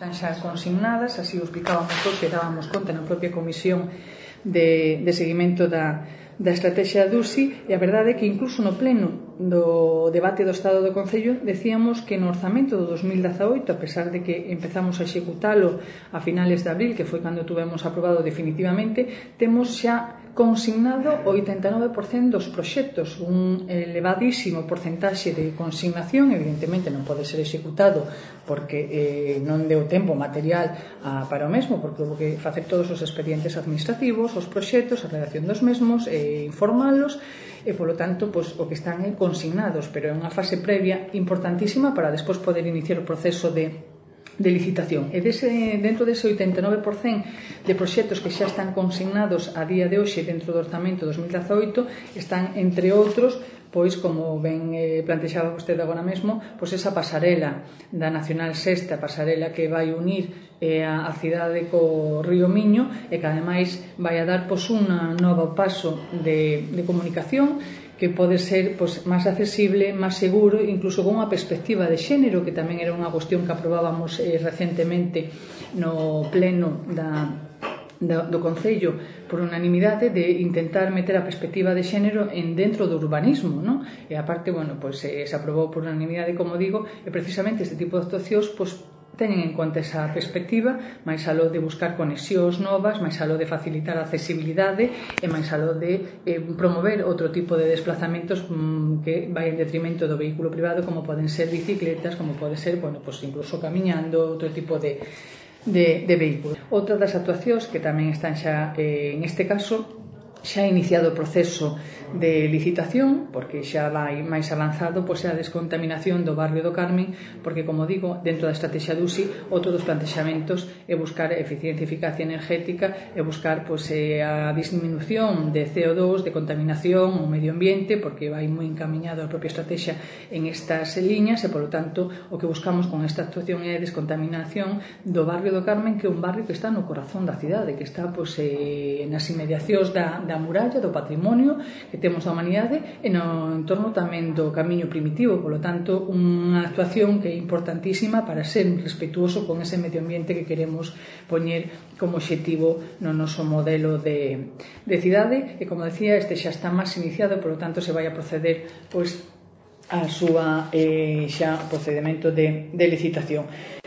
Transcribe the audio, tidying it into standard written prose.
están xa consignadas, así o explicábamos hoxe, dábamos conta na propia comisión de seguimento da estrategia DUSI, e a verdade é que incluso no pleno do debate do Estado do Concello decíamos que no orzamento do 2018, a pesar de que empezamos a executalo a finales de abril, que foi cando tuvemos aprobado definitivamente, temos xa consignado o 89% dos proxectos, un elevadísimo porcentaxe de consignación. Evidentemente non pode ser executado porque non deu tempo material para o mesmo, porque houve que facer todos os expedientes administrativos, os proxectos, a redacción dos mesmos, informalos, e polo tanto o que están consignados, pero é unha fase previa importantísima para despois poder iniciar o proceso de licitación. E dentro dese 89% de proxectos que xa están consignados a día de hoxe dentro do orzamento 2018 están, entre outros, pois, como ben plantexaba vostede agora mesmo, pois esa pasarela da Nacional 6, pasarela que vai unir a cidade co río Miño e que ademais vai a dar pois un novo paso de comunicación que pode ser máis accesible, máis seguro, incluso con unha perspectiva de xénero, que tamén era unha cuestión que aprobábamos recentemente no pleno do Concello por unanimidade, de intentar meter a perspectiva de xénero dentro do urbanismo, non? E aparte, se aprobou por unanimidade, como digo, e precisamente este tipo de actuacións teñen en conta esa perspectiva, máis aló de buscar conexións novas, máis aló de facilitar a accesibilidade e máis aló de promover outro tipo de desplazamentos que vai en detrimento do vehículo privado, como poden ser bicicletas, como pode ser, incluso camiñando, outro tipo de vehículos. Outra das actuacións que tamén están xa, en este caso, xa ha iniciado o proceso de licitación, porque xa vai máis avanzado, é a descontaminación do barrio do Carmen, porque, como digo, dentro da estrategia DUSI, outro dos plantexamentos é buscar eficiencia e eficacia energética, e buscar a disminución de CO2, de contaminación ao medio ambiente, porque vai moi encamiñado a propia estrategia en estas liñas, e, polo tanto, o que buscamos con esta actuación é a descontaminación do barrio do Carmen, que é un barrio que está no corazón da cidade, que está nas inmediacións da muralla, do patrimonio que temos da humanidade, e no entorno tamén do camiño primitivo. Polo tanto, unha actuación que é importantísima para ser respetuoso con ese medio ambiente que queremos poñer como obxectivo no noso modelo de cidade. E, como decía, este xa está máis iniciado, polo tanto se vai a proceder a súa procedimento de licitación.